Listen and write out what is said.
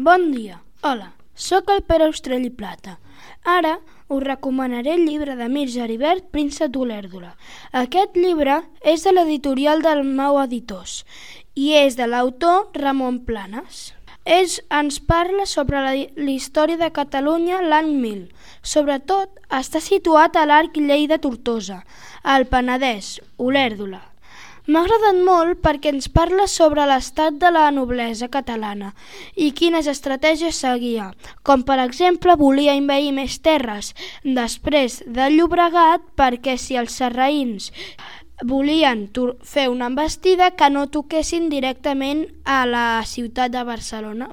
Bon dia, hola, sóc el Pere Austrell i Plata. Ara us recomanaré el llibre de Mircea Aribert, Príncep d'Olèrdola. Aquest llibre és de l'editorial Dalmau Editors i és de l'autor Ramon Planes. Ens parla sobre la història de Catalunya l'any 1000. Sobretot està situat a l'Arc Lleida-Tortosa, al Penedès, Olèrdola. M'ha agradat molt perquè ens parla sobre l'estat de la noblesa catalana i quines estratègies seguia, com per exemple volia envair més terres després del Llobregat perquè si els sarraïns volien fer una embestida que no toquessin directament a la ciutat de Barcelona.